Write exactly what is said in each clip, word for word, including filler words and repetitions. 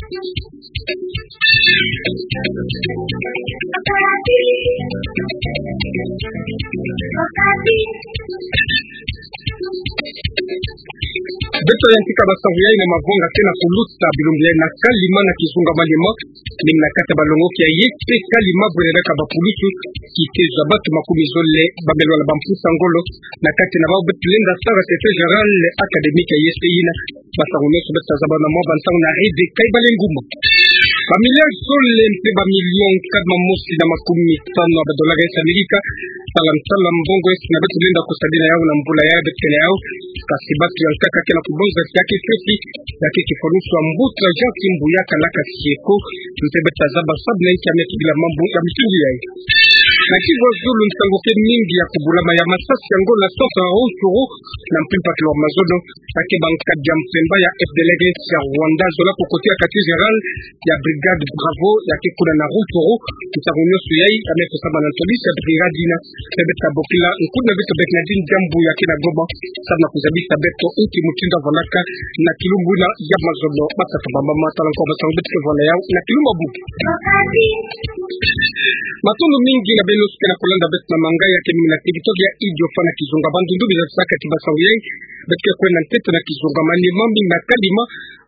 Beto yantika basangu yai na mavwanga ke na kuluta bilumbu yai na kalima na kizunga manima, mingi na kati ya balongoki ya yespe kalima bweredaka bapulusu, kitezo ya batu makumi zole ba me lwala bamputa ngolo, na kati na bau beto lenda sala secrétaire général académique ya yespe yina. Basangu nyonso beto tazaba na mwa bantangu na RDK Ebale Nguma. Bamiliare zole mpe bamilion nkama mosi na makumi tanu ya badolare ya Amerika, sala nsala mbongo esi na beto lenda kusadina yau na mbula yai beto ke na yau. Kasi batu ya nkaka ke na kubonza si ya ke sesi, ya ke kifulusu ya mbuta Jean Kimbuya Kalaka Sieko, mpe beto tazaba sabu na inki ya me tubila mambu ya mutindu yai. Na Kivu ya zulu, nsangu ke mingi ya kubulama ya masasi ya ngolo na centre ya Rutshuru, na mpimpa kilomètre mazono, ya ke bankadi ya mpemba ya FDLR ya Rwanda zola kokote ya quartier général ya Brigade Bravo ya ke kuna na Rutshuru. Nsangu nyonso yai ya me kusama na ntwadisi ya brigade yina. Mpe beto tabokila nkuna beto Bernardine Diambu ya ke na Goma, samu na kuzabisa beto inki mutindu ya vandaka na kilumbu yina ya mazono. Batata, bamama, tala nkwa basangu beto ke vwanda yau na kilumbu ya bubu. Matondo mingi na beno nyonso ke na kulanda beto na manga ya ke mingi na territoire ya Idiofa na kizunga Bandundu. Biza saka ti basangu yai, beto ke kwenda ntete na kizunga manima, mingi na kalima,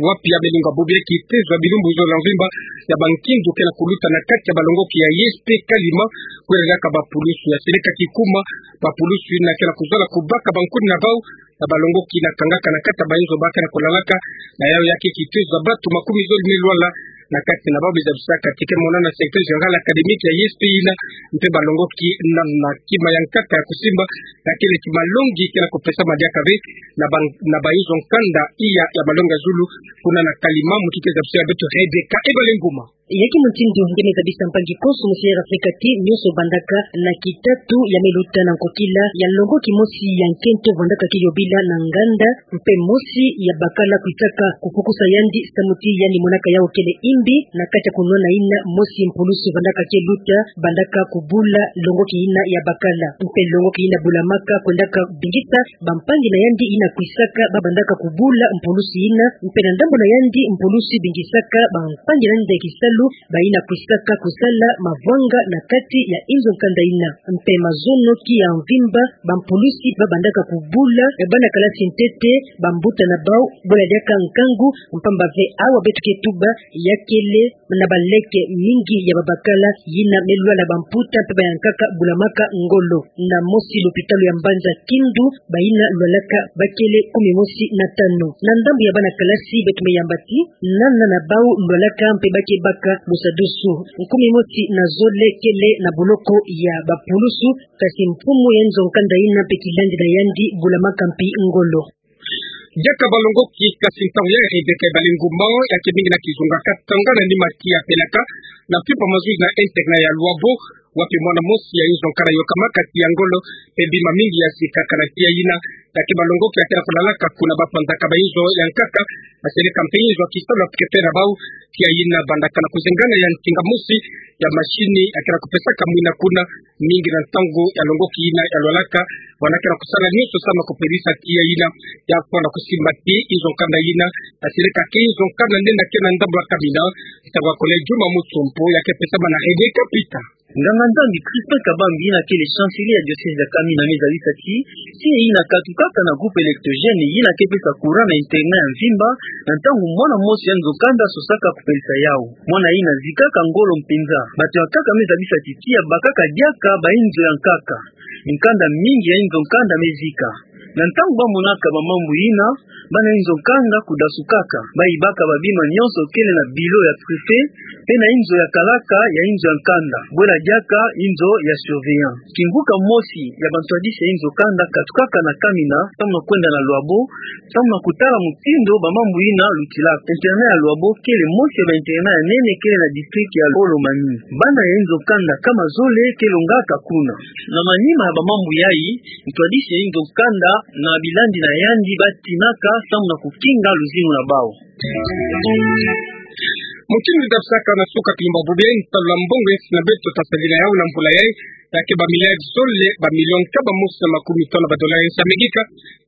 wapi ya me lunga bubu ya kitezo ya bilumbu zole ya mvimba ya bankindu ke na kuluta na kati ya balongoki ya yespe kalima, bweredaka bapulusu. Ya seleka kikuma, bapulusu yina ke na kuzala kubaka bankuni na bau na balongoki na kangaka na kati ya bainzo ba ke na kulalaka. Na yau ya ke kitezo ya batu makumi zole me lwala na kati na bau. Biza bisaka ti ke monana secrétaire général académique ya yespe yina, mpe balongoki na, na kima ya nkaka ya kusimba, ya kele ti malongi ke na kupesama diaka ve na ban-, na bainzo nkanda iya ya malongi ya zulu, kuna na kalima. Muti ke zabisi ya beto Rebecca Ebale Nguma. Ya ke mutindu nge me zabisa mpangi konso musi ya Afrika ti nyonso vandaka na kitatu ya me luta na nkokila ya longoki mosi ya nkento vandaka ke yobila na nganda, mpe mosi ya bakala kwisaka kupukusa yandi samu ti yandi monaka yau kele imbi, na kati ya kunwana yina mosi mpulusu vandaka ke luta, bandaka kubula longoki yina ya bakala. Mpe longoki yina bulamaka kwendaka bingisa bampangi na yandi yina kwisaka ba bandaka kubula mpulusu yina, mpe na ndambu na yandi mpulusu bingisaka bampangi na yandi ya kisalu, bayina kwisaka kusala mavwanga na kati ya inzo nkanda yina. Mpe mazono ki ya mvimba, bampulusi ba bandaka kubula, e, bana kalasi ntete, bambuta na bau, bwela diaka nkangu, mpamba ve awa beto ke tuba, ya kele na baleke mingi ya babakala yina me lwala bamputa mpe ba ya nkaka bulamaka ngolo. Na mosi lopitalo ya mbanza Kindu, bayina lwalaka ba kele kumi mosi na tanu. Na ndambu ya bana kalasi beto me yamba ti, nana na bau lwalaka mpe ba ke baka lusadusu. Kumi mosi na zole kele na boloko ya bapulusu, kasi mfumu ya inzo nkanda yina mpe kilandi na yandi bulamaka mpi ngolo. Diaka balongoki, kasi ntangu ya Rebecca Ebale Nguma ya ke mingi na kizunga Katanga na nima ti ya Pelaka, na mpimpa mazono na internat ya Luabo, wapi mwana mosi ya inzo nkanda yokamaka tiya ngolo, mpe bima mingi ya zikaka na tiya yina. Ya ke balongoki ya ke na kulalaka kuna, ba panzaka bainzo ya nkaka, ba seleka mpe inzo ya kisalu ya pukepera bau. Tiya yina bandaka na kuzengana ya ntinga mosi ya mashini ya ke na kupesaka mwina kuna, mingi na ntangu ya longoki yina ya lwalaka, bwana ke na kusala nyonso samu na kupelisa tiya yina. Ya fwana kusimba ti inzo nkanda yina ya seleka ke inzo nkanda nde na ke na ndambu ya Kamina, ntangu ya Collège Juma Mutsompo ya ke pesama na Rebecca Peter. Nganga-Nzambi Crispin Kabambi yina kele chancelier ya diocèse ya Kamina me zabisa ti, signe yina katukaka na groupe électrogène yina ke pesa courant na internat ya mvimba, na ntangu mwana mosi ya inzo nkanda sosaka kupelisa yau. Mwana yina zikaka ngolo mpenza. Bato ya nkaka me zabisa ti tiya bakaka diaka bainzo ya nkaka. Mikanda mingi ya inzo nkanda me zika. Na ntangu ba monaka bamambu yina, bana inzo nkanda kudasukaka. Ba yibaka babima nyonso kele na bureau ya préfet, mpe na inzo ya kalaka ya inzo ya nkanda. Bwela diaka inzo ya surveillant. Kinguka mosi ya bantwadisi ya inzo nkanda katukaka na Kamina, samu na kwenda na Luabo, samu na kutala mutindu bamambu yina lutilaka. Internat ya Luabo kele mosi ya ba internat ya nene kele na district ya Haut-Lomami. Bana ya inzo nkanda nkama zole ke longaka kuna. Na manima ya bamambu yai, ntwadisi ya inzo nkanda na bilandi na yandi ba tinaka samu na kukinga luzingu na bau. Mutindu tadusaka na suka kilumbu bubu yayi, ntalu ya mbongo ya nsi na beto tasadila yawu na mvula yayi, ya ke ba milliards zole, ba millions kama mosi na makumi tanu ba dollars ya nsi ya Amerika.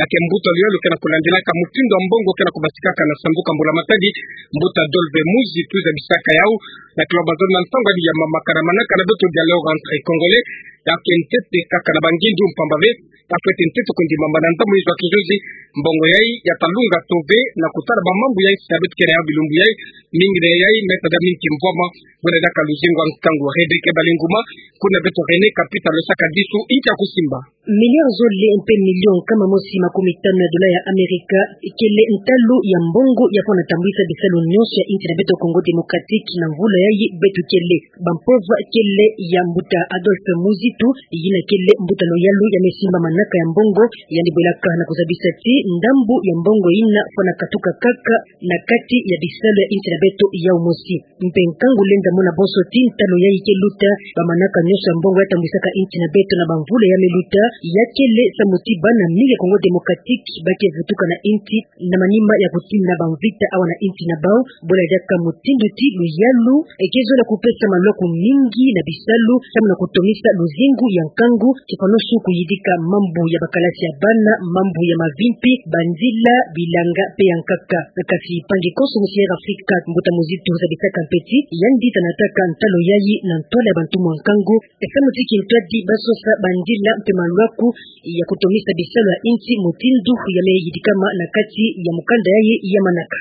Ya ke mbuta luyalu ke na kulandilaka mutindu ya mbongo ke na kubatikaka na sanduku ya mbula matadi, mbuta Adolphe Muzitu zabisaka yawu, na kilomba zole na ntangu ya mamaka na manaka na beto dialogue entre Congolais, ya ke ntete kaka na bangindu mpamba ve, ya fwete ntete kundima mbana ntamu izo ya kijuzi, mbongo yayi ya talunga to ve, na kutala ba mambu ya nsi na beto ke na yawu bilumbu yayi, mingi na yayi, meta da mingi mvwama, buna diaka luzingu ya nkangu. Rebecca Balinguma, kuna beto René Kapita losaka disu, nti ya kusimba. Milliards zole mpe millions kama mosi makumi tanu ya dollars ya Amerika, kele ntalu ya mbongo ya fwana tambwisa bisalu nyonso ya nsi na beto Congo Démocratique na mvula yayi beto kele. Bampova kele ya mbuta Adolphe Muzitu, yina kele mbuta luyalu ya me simba manaka ya mbongo, yandi bwelaka na kuzabisa ti ndambu ya mbongo yina fwana katuka kaka na kati ya bisalu ya nsi na beto yawu mosi. Mpe nkangu lenda mona bonso ti ntalu yayi ke luta, ba manaka nyonso ya mbongo ya tambwisaka nsi na beto na bamvula ya me luta, ya kele samu ti bana mingi ya Congo Démocratique ba ke vutuka na nsi na manima ya kutinda bamvita awa na nsi na bawu, buna diaka mutindu ti luyalu ke zola kupesa malwaku mingi na bisalu, samu na kutomisa luzingu ya nkangu, kifwanusu kuyidika mambu ya bakalasi ya bana, mambu ya mavimpi, banzila, bilanga, mpe ya nkaka. Kasi mpangi konso musi ya Afrika, mbuta Muzitu zabisaka mpe ti, yandi tanataka ntalu yayi na ntwala ya bantumwa nkangu, samu ti kintwadi ba sosa banzila mpe malwaku ya kutomisa bisalu ya nsi mutindu ya me yidikama na kati ya mukanda yayi ya manaka.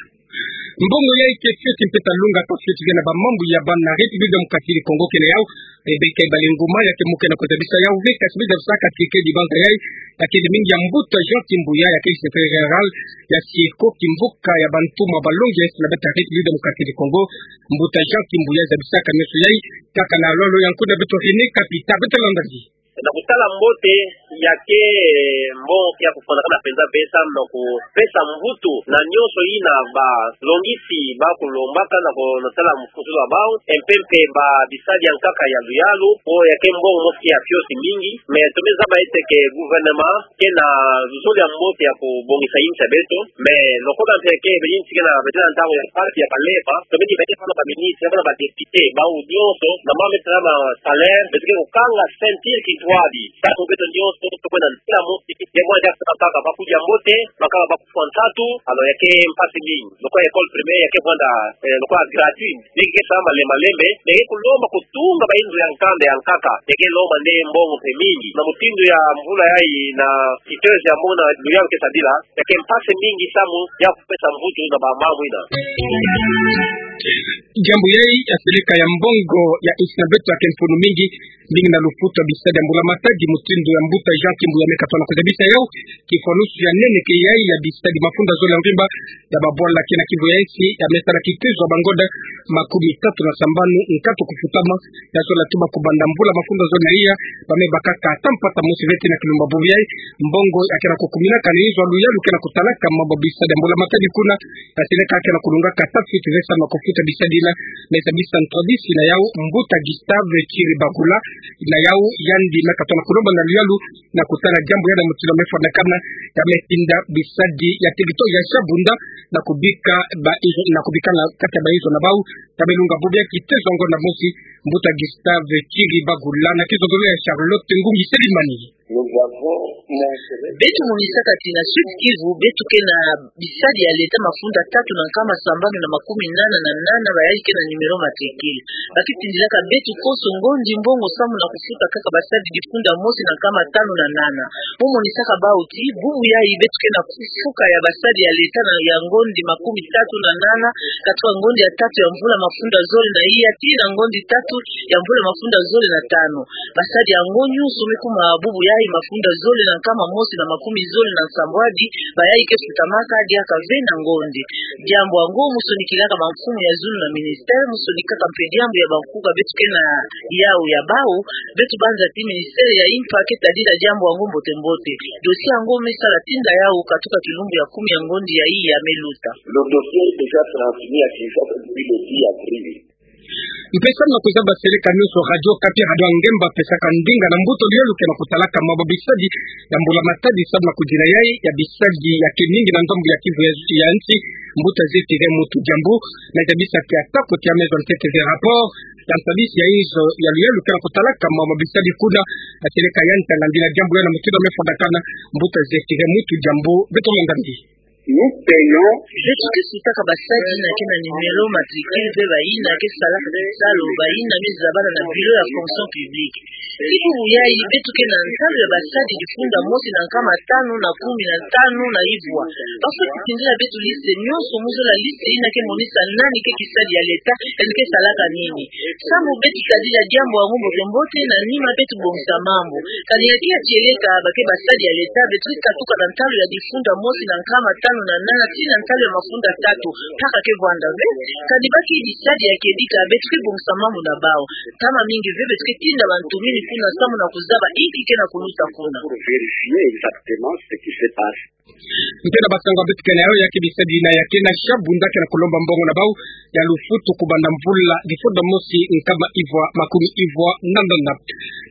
Mbongo yayi ke fioti mpe talunga, ka fioti ve na ba mambu ya bana République Démocratique du Congo ke na yawu. Rebecca Balinguma, ya ke muke na kuzabisa yawu ve, kasi mi zabisaka ti ke dibanza yayi, ya kele mingi ya mbuta Jean Kimbuya, ya ke secrétaire général ya Syeko, kimvuka ya bantumwa balongi ya nsi na beto République Démocratique du Congo. Mbuta Jean Kimbuya zabisaka nyonso yayi, kaka na lolo ya nkuna beto René Kapita, beto landa ngi. Na kutala mbote, ya ke mbongo ke ya kufwanakana mpenza ve samu na kupesa mvutu na nyonso yina balongisi ba kulombaka na ko-, na tala mfutulu ya bawu, mpe mpe ba bisadi ya nkaka ya luyalu, po ya ke mbongo mosi ke ya fioti mingi, mais tomene zaba ete que gouvernement ke na luzolo ya mbote ya kubongisa insi ya beto, mais lokola mpe ke be insi ke na beto na ntangu ya mpasi ya kalepa, tomene bete fwana ba ministre, fwana ba député, bawu nyonso, na mama tala na salaire, beto ke kukanga ceinture kintwadi, samu beto nyonso, tokwenda ntela mosi, ye mwa dia kaka, bakudia mbote, bakala bakufwa nsatu, alors ya ke mpasi mingi. Lokola école primaire ya ke vwanda, eh, lokola gratuit. Ni ke sa malembe malembe, ni ke kulomba kutunga ba inzo ya nkanda ya nkaka. Ya ke lomba nde mbongo mpe mingi. Na mutindu ya mvula yayi na kitezo ya mona luyalu ke sadila, ya ke mpasi mingi samu ya kupesa mvutu na ba mambu yina. Diambu yayi ya seleka ya mbongo ya nsi na beto ya ke mfunu mingi, mingi na lufutu ya bisadi ya mbula matadi, mutindu ya mbuta Jean Kimbuya me katuka na kuzabisa yawu. Kifwanusu ya nene ke yayi ya bisadi mafunda zole ya mvimba ya babwala ke na kivu ya nsi, ya me sala kitezo ya bangonda makumi tatu na sambanu nkatu kufutama, ya zola tuma kubanda mvula mafunda zole na iya, ba me bakaka ata mpata mosi ve ti na kilumbu bubu yayi. Mbongo ya ke na kukuminaka na inzo ya luyalu ke na kutalaka mambu ya bisadi ya mbula matadi kuna, ya seleka ke na kulungaka ata fioti ve samu na kufuta bisadi yina, me zabisa ntwadisi na yawu mbuta Gustave Kiribagula, na yawu yandi me katuka na kulomba na luyalu, na kutala diambu yina mutindu me fwanakana, ya me tinda bisadi ya territoire ya Shabunda, na kubika ba inzo, na kubika na kati ya ba inzo na bawu, ya me lunga bubu ya kitezo ya ngonda mosi, mbuta Gustave Kiribagula, na kizololo ya Charlotte Ngungi Selimani. Beto monisaka ti na Sud Kivu, beto ke na bisadi ya leta mafunda tatu na nkama sambanu na makumi nana na nana, bayadi ke na numéro matricule. Ba ke tindilaka beto konso ngondi mbongo samu na kufuta kaka basadi difunda mosi na nkama tanu na nana. Mo monisaka bawu ti, bubu yayi beto ke na kufuka ya basadi ya leta na ya ngondi makumi tatu na nana, katuka ngondi ya tatu ya mvula mafunda zole na iya, tii na ngondi tatu ya mvula mafunda zole na tanu. Basadi yango nyonso me kuma bubu yayi mafunda zole na nkama mosi na makumi zole na nsambwadi, bayadi ke futamaka diaka ve na ngondi. Diambu yango mo sonikilaka bamfumu ya zulu na ministère, mo sonikaka mpe diambu ya bankuka beto ke na yawu ya bawu, beto banza ti ministère ya impa ke tadila diambu yango mbote mbote. Dossier yango me sala tinda yawu katuka kilumbu ya kumi ya ngondi yayi ya me luta. Le dossier est déjà transmis à Kinshasa depuis le dix avril. Mpe samu na kuzaba seleka nionso Radio Okapi, Radio Ngemba, pesaka ndinga na mbuta luyalu ke na kutalaka mambu ya bisadi ya mbula matadi samu na kudila yayi ya bisadi ya keningi na ndambu ya Kivu ya, ya nsi, mbuta Zefire Mutu Diambu, na zabisa ke atako tia maison ntete ve rapport ya ntwadisi ya inzo ya luyalu ke na kutalaka mambu ya bisadi kuna, na seleka ya ntanga ndila diambu ya na mutindu mefondakana. Mbuta Zefire Mutu Diambu, beto landa mbi. Nous payons. Beto ke sutaka basadi na ke na numéro matricule mpe bayina ke salaka kisalu, bayina mizabana na bureau ya fonction publique. Ti bubu yayi beto ke na ntalu ya basadi difunda mosi na nkama tanu na kumi na tanu na ivwa. Bafweti tindila beto liste nionso mu zola liste yina ke monisa nani ke kisadi ya l'État, yandi ke salaka nini. Samu beto tadila diambu yango mbote mbote, na nima beto bongisa mambu. Kani ya ke ya tieleka ba ke basadi ya l'État, beto ke katuka na ntalu ya difunda mosi na nkama tanu na nana tii na ntalu ya mafunda tatu, mpaka ke vwanda ve. Kani ba ke bisadi ya kedika, beto ke bongisa mambu na bau. Ntama mingi ve beto ke tinda bantu mini kuna samu na kuzaba inki ke na kuluta kuna. Pour vérifier exactement ce qui se passe. Mpe na basango beto ke na yayo ya ke bisadi yina ya ke na sha bunda ke na kulomba mbongo na bau ya lufutu kubanda mvula difunda mosi nkama ivwa makumi ivwa na nana.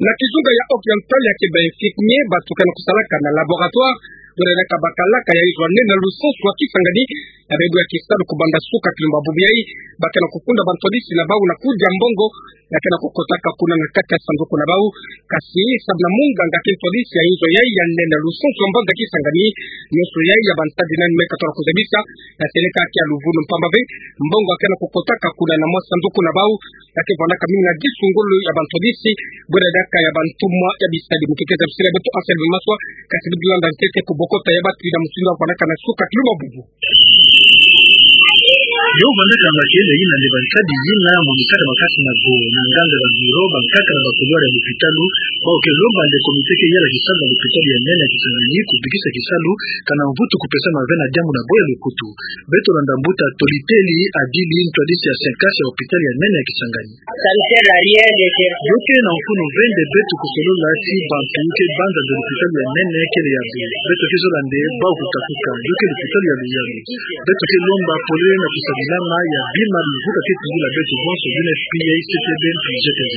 Na kizunga ya Oriental ya ke ba infirmier bato ke na kusalaka na laboratoire, buna diaka bakalaka ya izwa nene na lusansu ya Kisangani, na bebo ya kisalu kubanda suka kilumba bubu yayi, ba ke na kufunda bantwadisi na bau na kudia mbongo ya ke na kukotaka kuna na kati ya sanduku na bau. Kasi samu na munganga ke ntwadisi ya inzo yayi ya nene na lusansu ya mbanza Kisangani, nionso yayi ya bantadi nani me katona kuzabisa, ya seleka ke ya luvunu mpamba ve mbongo ya ke na kukotaka kuna na mwa sanduku na bau, ya ke vwandaka mingi na disungulu ya bantwadisi, buna diaka ya bantumwa ya bisadi. Mu kikeza bisila beto Anselme Maswa, kasi beto landa ntete kubokota ya batu yina mutindu ya vwandaka na suka kilumba bubu. Yo vandaka na makele yina nde bantadi yina monisaka makasi na go na nganda, ba bureau, bankaka na ba couloir ya lupitalu, bau ke lomba nde comité ke yala kisalu na lupitalu ya nene ya Kisangani kubikisa kisalu, kana mvutu kupesama ve na diambu na bo ya lukutu. Beto landa mbuta Toliteli Adili, ntwadisi ya Senkas ya hôpital ya nene ya Kisangani. Yo ke na mfunu ve nde beto kusolola ti bantu ke banza nde lupitalu ya nene kele ya bwe. Beto ke zola nde bau kukatuka. Yo ke lupitalu ya luyalu. Beto ke lomba polele na kusadilama ya bima bivuka ke tungula beto bonso UNFPA, CTB mpi GTZ.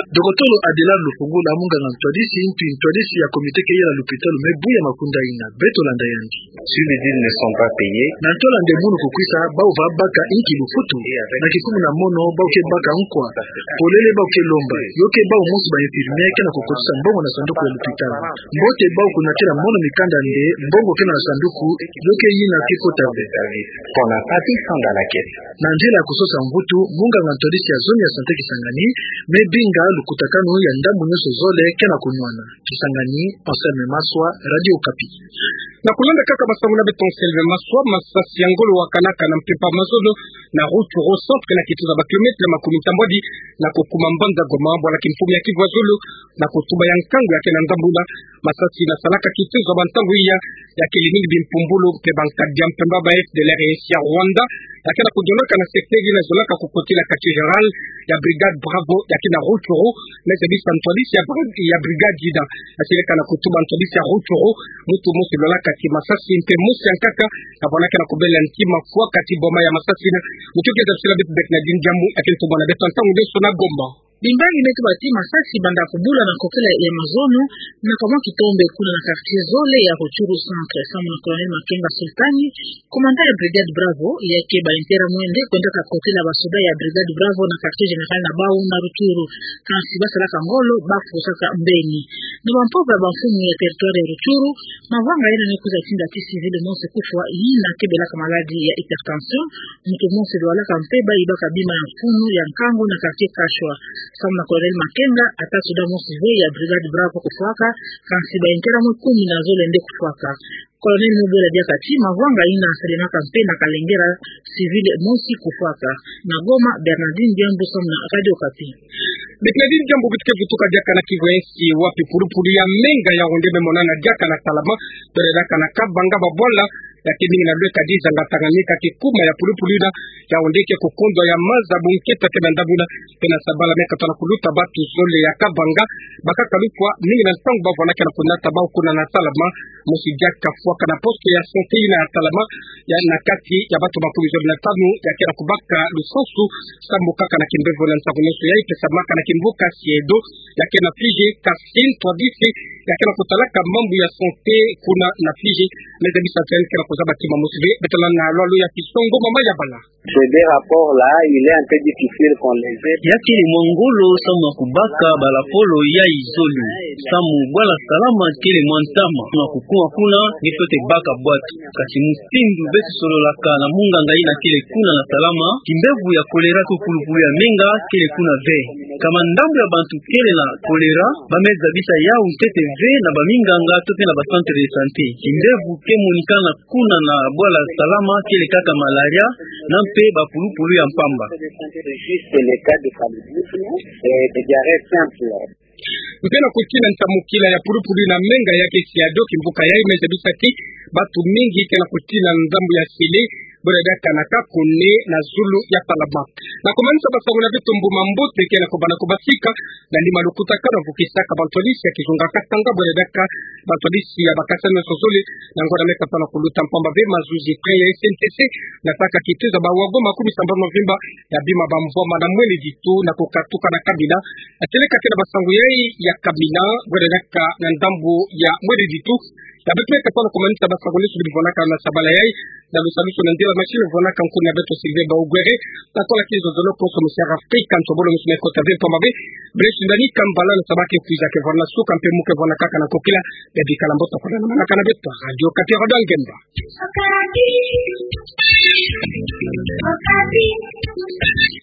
Dokotolo Adelard Lufungula, munganga ntwadisi mpi ntwadisi ya comité ke yala lupitalu me buya makunda yina. Beto landa yandi. Si les deals ne sont pas payés. Na ntola nde munu kukwisa, bau va baka inki lufutu? Na kikumu na mono, bau ke baka nkwa. Polele bau ke lomba. Yo ke bau mosi ba infirmier ke na kukotisa mbongo na sanduku ya lupitalu. Mbote bau kunatila mono mikanda nde mbongo ke na sanduku, yo ke yina ke kota ve. Qu'on n'a pas pris ça dans la caisse. Na nzila ya kusosa mvutu, munganga ntwadisi ya zone ya santé Kisangani me binga lukutakanu ya ndambu nionso zole ke na kunwana. Kisangani, Anselme Maswa, Radio Okapi. Na kulanda kaka masangu na beto Anselme Maswa, masasi ya ngolo wakanaka na mpimpa mazono na Rutshuru centre, na kituza ba kilomètre makumi ntambwadi na kukuma mbanza Goma, bwala kimfumu ya Kivu ya zulu, na kutuba ya nkangu ya ke na ndambu na masasi na salaka kituza ba ntangu iya ya kele mingi bimpumbulu mpe bankadi ya mpemba ba FDLR ya Rwanda, ya ke na kudionaka na secteur yina zolaka kukotila quartier général ya Brigade Bravo ya ke na Rutshuru, na zabisa ntwadisi ya bri-, ya brigade yina. Na seleka na kutuba ntwadisi ya Rutshuru, mutu mosi lwalaka ti masasi mpe mosi ya nkaka, na bwana ke na kubela ntima fwaka ti boma ya masasi na. Mutu ke zabisila beto Bernadine Diambu, ya ke ntumwa na beto ntangu nde so na Goma. Bimbangi me tuba ti masasi banda kubula na kokela ya mazono, na kamwa kitombe kuna na quartier zole ya Rutshuru centre, samu na Colonel Makenga Sultani, commandant ya Brigade Bravo, ya ke ba intera mwende kwendaka kotila ba soda ya Brigade Bravo na quartier général na bau na Rutshuru. Kansi basalaka ngolo, bafusaka mbeni. Na bampova ya bamfumu ya territoire ya Rutshuru, mavanga yina ni kwiza tinda ti civil mosi kufwa, yina ke belaka maladie ya hypertension, mutu mosi lwalaka mpe bayibaka bima ya mfunu ya nkangu na quartier Kashwa. Samu na Colonel Makenga, ata soda mosi ve ya Brigade Bravo kufwaka, kansi ba intera mwe kumi na zole nde kufwaka. Colonel Mubela diaka ti mavanga yina salemaka mpe na kalengera civil mosi kufwaka. Na Goma, Bernadine Diambu samu na Radio Okapi. Bernadine Diambu, beto ke vutuka diaka na Kivu ya nsi, wapi pulupulu ya menga ya onde me monana diaka na Talama, bele diaka na Kabanga, babwala Ya kemininga na lweka dizanga tanga nika kikuma ya pulupulu yina, ya onde ke kukondwa ya maza bunketa ke na ndambu na, ke na sabala me katona kuluta batu zole ya Kabanga, bakaka lukwa, mininga na ntangu bavwanda ke na kunata bau kuna na Salama, mosi diaka fwaka na poste ya santé yina ya Salama, ya na kati ya batu makumi zole na tanu, ya ke na kubaka lusansu, samu kaka na kimbevo na nsaku nyonso ya ipesamaka na kimvuka SIEDO, ya ke na Fiji, Kasim Twadisi, ya ke na kutalaka mambu ya santé kuna na Fiji, meza bisateni ke na kuzaba tima mosi ve, beto landa na lwalu ya kisongo mama ya bala. Ce des rapports là, il est un peu difficile qu'on les ait. Ya kele mwa ngolo samu na kubaka ba lapolo ya izole. Samu bwala Salama kele mwa ntama. Na kukuma kuna, ni fwete baka bwatu. Kasi mutindu beto sololaka na munganga yina kele kuna na Salama, kimbevo ya choléra ke pulupulu ya menga kele kuna ve. Kama ndambu ya bantu kele na choléra, bameza bisa yau ntete ve na baminganga to pe na ba centre de santé. Kimbevo ke monikana kuna na bwala Salama kele kaka malaria, na mpe ba pulupulu ya mpamba. Juste le cas de paludisme et de diarrhée simple. Mpe na kutina ntamukila ya pulupulu na menga ya ke SIEDO, kimvuka yayi meza bisa ti batu mingi ke na kutina ndambu ya sele, bwela diaka na kakune na zulu ya Salama. Na kumanisa basango na beto, mbu mambote ke na kubanda kubasika, na nima lukutakanu vukisaka bantwadisi ya kizunga Katanga, bwela diaka bantwadisi ya bakasa nyonso zole, na ngonda me katona kuluta mpamba ve mazuzi train ya SNTC, na taka kituza ba wagon makumi sambanu na mvimba, ya bima ba mvwama na Mwene Ditu, na kukatuka na Kamina, na tieleka kena basango yayi ya Kamina, bwela diaka na ndambu ya Mwene Ditu, ya beto me katona kumanisa basango nyonso bivwanaka na sabala yayi, na lusalusu na ndila machine vwanaka nkuna beto Sylvain Baogwere, na kola kizo zolo konso mu Sierra Africa, ntobolo nyonso me kota ve mpamba ve, Brest ndani kambala na sabake kwiza ke vwana suka mpe mu ke vwana kaka na kokila, ya bikala mbote kuna na manaka na beto, Radio Okapi, Radio Ngemba.